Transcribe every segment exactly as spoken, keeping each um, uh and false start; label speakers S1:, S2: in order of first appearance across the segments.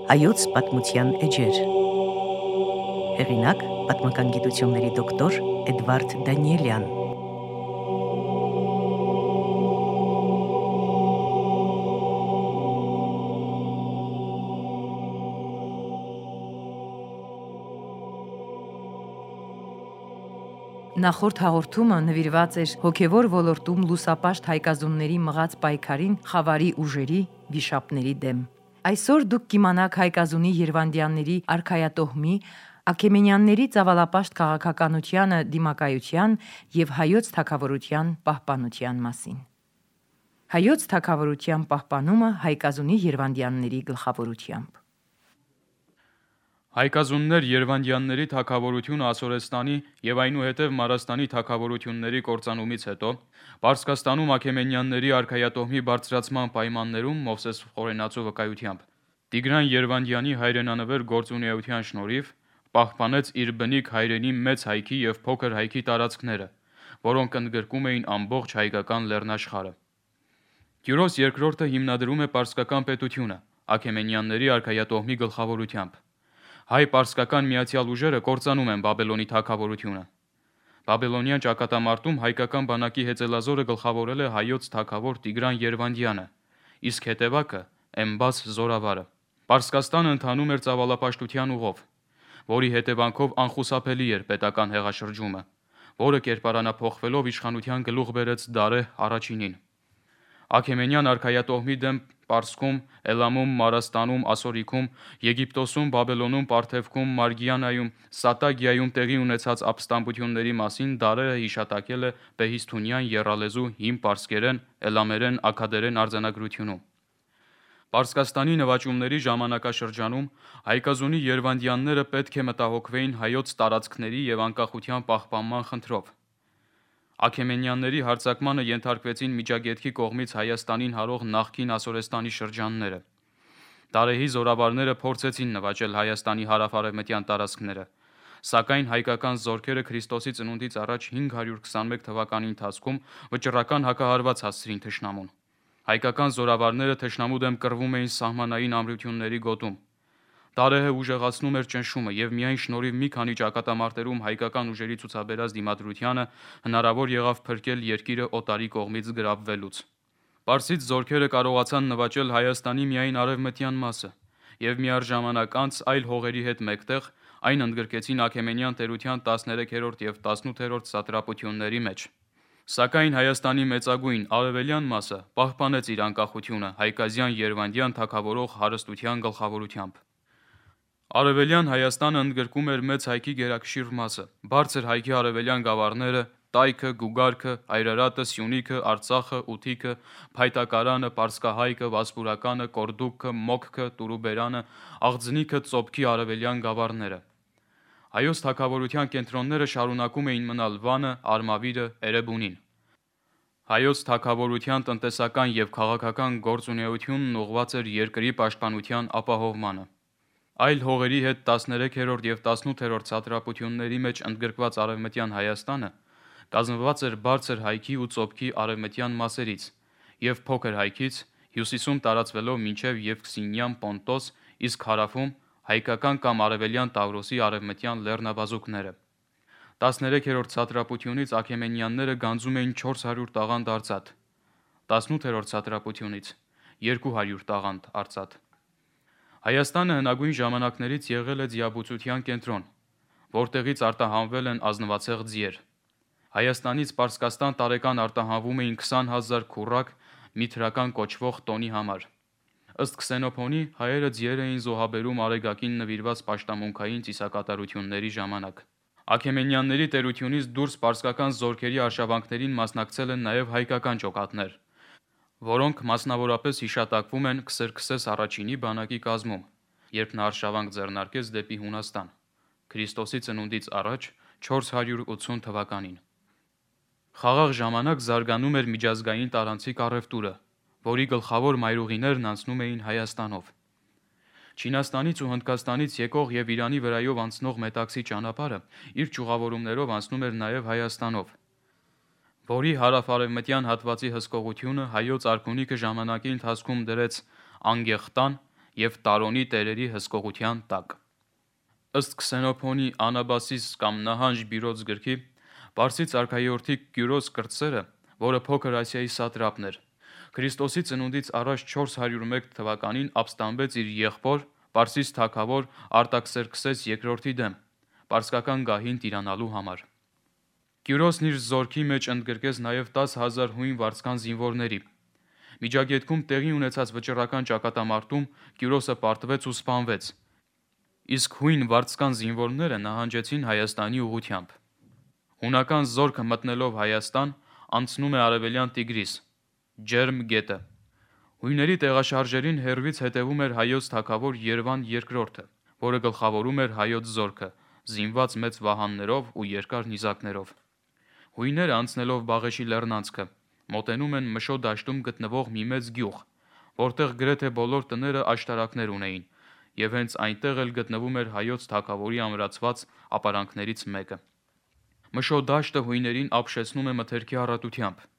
S1: Հայոց պատմության էջեր։ Հեղինակ՝ պատմական գիտությունների դոկտոր Էդվարդ Դանիելյան։ Նախորդ հաղորդումը նվիրված էր հոգևոր ոլորտում լուսապաշտ հայկազունների մղած պայքարին խավարի ուժերի, վիշապների դեմ։ Այսօր դուք կիմանաք հայկազունի Երվանդյանների արքայատոհմի, Աքեմենյանների ծավալապաշտ քաղաքականությանը դիմակայության և հայոց թագավորության պահպանության մասին։ Հայոց թագավորության պահպանումը հայկազունի Երվանդյանների գլխավորությամբ։
S2: Հայկազուններ Երվանդյանների թագավորությունը Ասորեստանի և այնուհետև Մարաստանի թագավորությունների կործանումից հետո Պարսկաստանում Աքեմենյանների արքայատոհմի բարձրացման պայմաններում Մովսես Խորենացու վկայությամբ Տիգրան Երվանդյանի հայրենանվեր գործունեության շնորհիվ պահպանեց իր բնիկ հայրենի մեծ հայքի և փոքր հայքի տարածքները, որոնք ընդգրկում էին ամբողջ հայկական լեռնաշխարհը։ Կյուրոս երկրորդը հիմնադրում է պարսկական պետությունը Աքեմենյանների արքայատոհմի գլխավորությամբ։ Հայ-պարսկական միացյալ ուժերը կործանում են Բաբելոնի թագավորությունը։ Բաբելոնյան ճակատամարտում հայկական բանակի հեծելազորը գլխավորել է հայոց թագավոր Տիգրան Երվանդյանը, իսկ հետևակը Էմբաս Զորավարը։ Պարսկաստանը ընթանում էր ծավալապաշտության ուղով, որի հետևանքով անխուսափելի էր պետական հեղաշրջումը, որը կերպարանափոխվելով իշխանության գլուխ բերեց Դարեհ առաջինին։ Աքեմենյան արքայատոհմի դեմ Պարսքում, Էլամում, Մարաստանում, Ասորիքում, Եգիպտոսում, Բաբելոնում, Պարթևքում, Մարգիանայում, Սատագիայում տեղի ունեցած ապստամբությունների մասին Դարեհը հիշատակել է Բեհիսթունյան եռալեզու հին պարսկերեն, էլամերեն, աքադերեն արձանագրությունում։ Պարսկաստանի նվաճումների ժամանակաշրջանում հայկազունի Երվանդյանները պետք է մտահոգվեին հայոց տարածքների և անկախության պահպանման խնդրով։ Աքեմենյանների հարձակմանը ենթարկվեցին Միջագետքի կողմից Հայաստանին հարող նախկին Ասորեստանի շրջանները։ Դարեհի զորավարները փորձեցին նվաճել Հայաստանի հարավ-արևմտյան տարածքները, սակայն հայկական զորքերը Քրիստոսի ծնունդից առաջ հինգ հարյուր քսանմեկ թվականի ընթացքում վճռական հակահարված հասցրին թշնամուն։ Հայկական զորավարները թշնամու դեմ կռվում էին սահմանային ամրությունների գոտում։ Դարեհը ուժեղացնում էր ճնշումը և միայն շնորհիվ մի քանի ճակատամարտերում հայկական ուժերի ցուցաբերած դիմադրությանը հնարավոր եղավ փրկել երկիրը օտարի կողմից գրավվելուց։ Պարսից զորքերը կարողացան նվաճել Հայաստանի միայն արևմտյան մասը և միառժամանակ անց այլ հողերի հետ մեկտեղ այն ընդգրկեցին Աքեմենյան տերության տասներեքերորդ և տասնութերորդ սատրապությունների մեջ։ Սակայն Հայաստանի մեծագույն արևելյան մասը պահպանեց իր անկախությունը Հայկազյան Երվանդյան թագավորող հարստության գլխավորությամբ։ Արևելյան Հայաստանը ընդգրկում էր մեծ հայքի գերակշիռ մասը, բարձր հայքի արևելյան գավառները, Տայքը, Գուգարքը, Այրարատը, Սյունիքը, Արցախը, Ուտիքը, Փայտակարանը, Պարսկահայքը, Վասպուրականը, Կորդուբքը, Մոքքը, Տուրուբերանը, Աղձնիքը, Ծոփքի արևելյան գավառները։ Հայոց թագավորության կենտրոնները շարունակում էին մնալ Վանը, Արմավիրը, Էրեբունին։ Հայոց թագավորության տնտեսական և քաղաքական գործունեությունն ուղղված էր երկրի պաշտպանության ապահովմանը։ Այլ հողերի հետ տասներեքերորդ և տասնութերորդ սատրապությունների մեջ ընդգրկված արևմտյան Հայաստանը կազմված էր բարձր հայքի ու ծոփքի արևմտյան մասերից և փոքր հայքից, հյուսիսում տարածվելով մինչև Եվքսինյան Պոնտոս, իսկ հարավում հայկական կամ արևելյան Տավրոսի արևմտյան լեռնաբազուկները։ Տասներեքերորդ սատրապությունից Աքեմենյանները գանձում էին չորս հարյուր տաղանդ արծաթ, տասնութերորդ սատրապությունից երկու հարյուր տաղանդ արծաթ։ Հայաստանը հնագույն ժամանակներից եղել է ձիաբուծության կենտրոն, որտեղից արտահանվել են ազնվացեղ ձիեր։ Հայաստանից Պարսկաստան տարեկան արտահանվում էին քսան հազար քուռակ միթրական կոչվող տոնի համար։ Ըստ Քսենոփոնի, հայերը ձիեր էին զոհաբերում Արեգակին նվիրված պաշտամունքային ծիսակատարությունների ժամանակ։ Աքեմենյանների տերությունից դուրս պարսկական զորքերի արշավանքներին մասնակցել են նաև հայկական ջոկատներ, որոնք մասնավորապես հիշատակվում են Քսերքսես առաջինի բանակի կազմում, երբ նա արշավանք ձեռնարկեց դեպի Հունաստան, Քրիստոսի ծնունդից առաջ չորս հարյուր ութսուն թվականին։ Խաղաղ ժամանակ զարգանում էր միջազգային տարանցիկ առևտուրը, որի գլխավոր մայրուղիներն անցնում էին Հայաստանով։ Չինաստանից ու Հնդկաստանից եկող և Իրանի վրայով անցնող Մետաքսի ճանապարհը իր ճյուղավորումներով անցնում էր նաև Հայաստանով, որի հարավ-արևմտյան հատվածի հսկողությունը հայոց արքունիքը ժամանակի ընթացքում դրեց Անգեխտան եւ Տարոնի տերերի հսկողության տակ։ Ըստ Քսենոփոնի Անաբասիս կամ Նահանջ Բիրոց գրքի, Պարսից արքայորդի Կյուրոս կրտսերը, որը Փոքր Ասիայի սատրապն էր, Քրիստոսի ծնունդից առաջ չորս հարյուր մեկ թվականին ապստամբեց իր եղբոր Պարսից թագավոր Արտաքսերքսես երկրորդի դեմ, պարսկական գահին տիրանալու համար։ Կյուրոսն իր զորքի մեջ ընդգրկեց նաև տասը հազար հույն վարձկան զինվորների։ Միջագետքում տեղի ունեցած վճռական ճակատամարտում Կյուրոսը պարտվեց ու սպանվեց, իսկ հույն վարձկան զինվորները նահանջեցին Հայաստանի ուղղությամբ։ Հունական զորքը մտնելով Հայաստան, անցնում է արևելյան Տիգրիս, Ջերմ գետը։ Հույների տեղաշարժերին հեռվից հետևում էր հայոց թագավոր Երվան երկրորդը, որը գլխավորում էր հայոց զորքը, զինված մեծ վահաններով ու երկար նիզակներով։ Հույները անցնելով Բաղեշի լեռնանցքը, մոտենում են Մշո դաշտում գտնվող մի մեծ գյուղ, որտեղ գրեթե բոլոր տները աշտարակներ ունեին, եւ հենց այնտեղ էլ գտնվում էր հայոց թագավորի ամրացված ապարանքներից մեկը։ Մշո դաշտը հույներին ապշեցնում է մթերքի առատությամբ։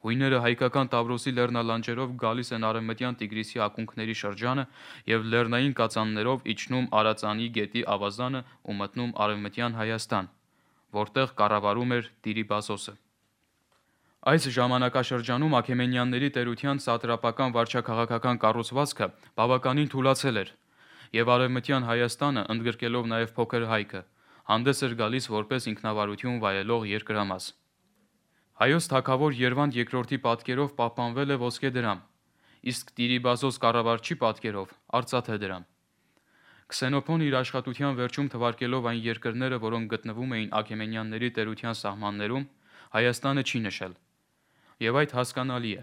S2: Հույները հայկական Տավրոսի լեռնալանջերով գալիս են արևմտյան Տիգրիսի ակունքների շրջանը եւ լեռնային կածաններով իջնում Արածանի գետի ավազանը ու մտնում արևմտյան Հայաստան, որտեղ կառավարում էր Տիրիբազոսը։ Այս ժամանակաշրջանում Աքեմենյանների տերության սատրապական վարչաքաղաքական կառուցվածքը բավականին թուլացել էր, եւ արևմտյան Հայաստանը, ընդգրկելով նաեւ Փոքր Հայքը, հանդես էր գալիս որպես ինքնավարություն վայելող երկրամաս։ Հայոց թագավոր Երվանդ երկրորդի պատկերով պահպանվել է ոսկե դրամ, իսկ Տիրիբազոս կառավարչի պատկերով արծաթե դրամ։ Քսենոփոն իր աշխատության վերջում թվարկելով այն երկրները, որոնք գտնվում էին Աքեմենյանների տերության սահմաններում, Հայաստանը չի նշել։ Եվ այդ հասկանալի է,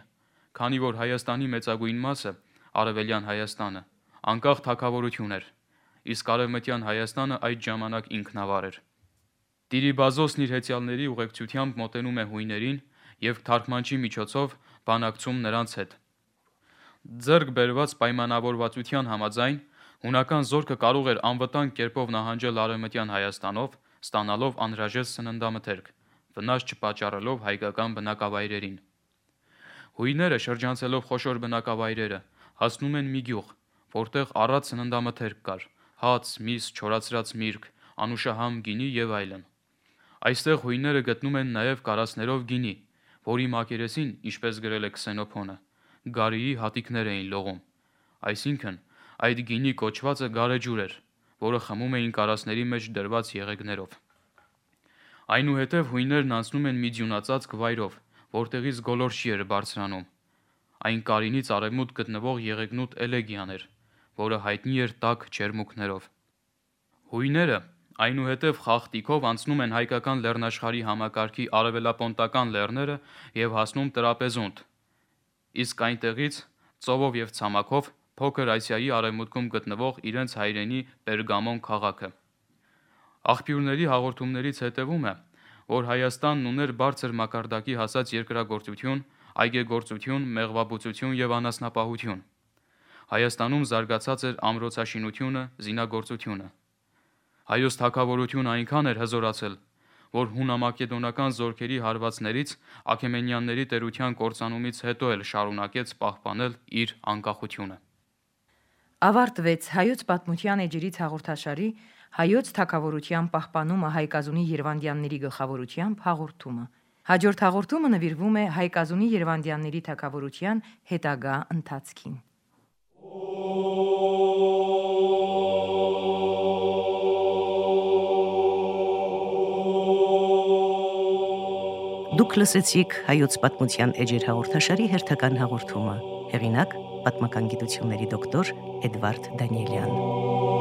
S2: քանի որ Հայաստանի մեծագույն մասը, արևելյան Հայաստանը, անկախ թագավորություն էր, իսկ արևմտյան Հայաստանը այդ ժամանակ ինքնավար էր։ Տիրիբազոսն իր հեծյալների ուղեկցությամբ մոտենում է հույներին եւ թարգմանչի միջոցով բանակցում նրանց հետ։ Ձեռք բերված պայմանավորվածության համաձայն հունական զորքը կարող էր անվտանգ կերպով նահանջել արևմտյան Հայաստանով, ստանալով անհրաժեշտ սննդամթերք, վնաս չպատճառելով հայկական բնակավայրերին։ Հույները շրջանցելով խոշոր բնակավայրերը հասնում են մի գյուղ, որտեղ առատ սննդամթերք կար՝ հաց, միս, չորացրած միրգ, անուշահամ գինի եւ այլն։ Այստեղ հույները գտնում են նաև կարասներով գինի, որի մակերեսին, ինչպես գրել է Քսենոփոնը, գարիի հատիկներ էին լողում, այսինքն այդ գինի կոչվածը գարեջուր էր, որը խմում էին կարասների մեջ դրված եղեգներով։ Այնուհետև հույներն անցնում են մի ձյունածածկ վայրով, որտեղից գոլորշի էր բարձրանում։ Այն Կարինից արևմուտք գտնվող Եղեգնուտ Էլեգիան էր, որը հայտնի էր տաք ջերմուկներով։ Հույները այնուհետև խախտիկով անցնում են հայկական լեռնաշխարհի համակարգի արևելապոնտական լեռները եւ հասնում Տրապեզունդ, իսկ այնտեղից ծովով եւ ցամաքով Փոքր Ասիայի արևմուտքում գտնվող իրենց հայրենի Պերգամոն քաղաքը։ Աղբյուրների հաղորդումներից հետևում է, որ Հայաստանն ուներ բարձր մակարդակի հասած երկրագործություն, այգեգործություն, մեղվաբուծություն եւ անասնապահություն։ Հայաստանում զարգացած էր ամրոցաշինությունը, զինագործությունը։ Հայոց թագավորությունը այնքան էր հզորացել, որ հունամակեդոնական զորքերի հարվածներից Աքեմենյանների տերության կործանումից հետո էլ շարունակեց պահպանել իր անկախությունը։
S1: Ավարտվեց Հայոց պատմության էջերից հաղորդաշարի Հայոց թագավորության պահպանումը Հայկազունի Երվանդյանների գլխավորությամբ հաղորդումը։ Հաջորդ հաղորդումը նվիրվում է Հայկազունի Երվանդյանների թագավորության հետագա ընթացքին։
S3: Դուք լսեցիք Հայոց պատմության էջեր հաղորդաշարի հերթական հաղորդումը։ Հեղինակ՝ պատմական գիտությունների դոկտոր Էդվարդ Դանիելյան։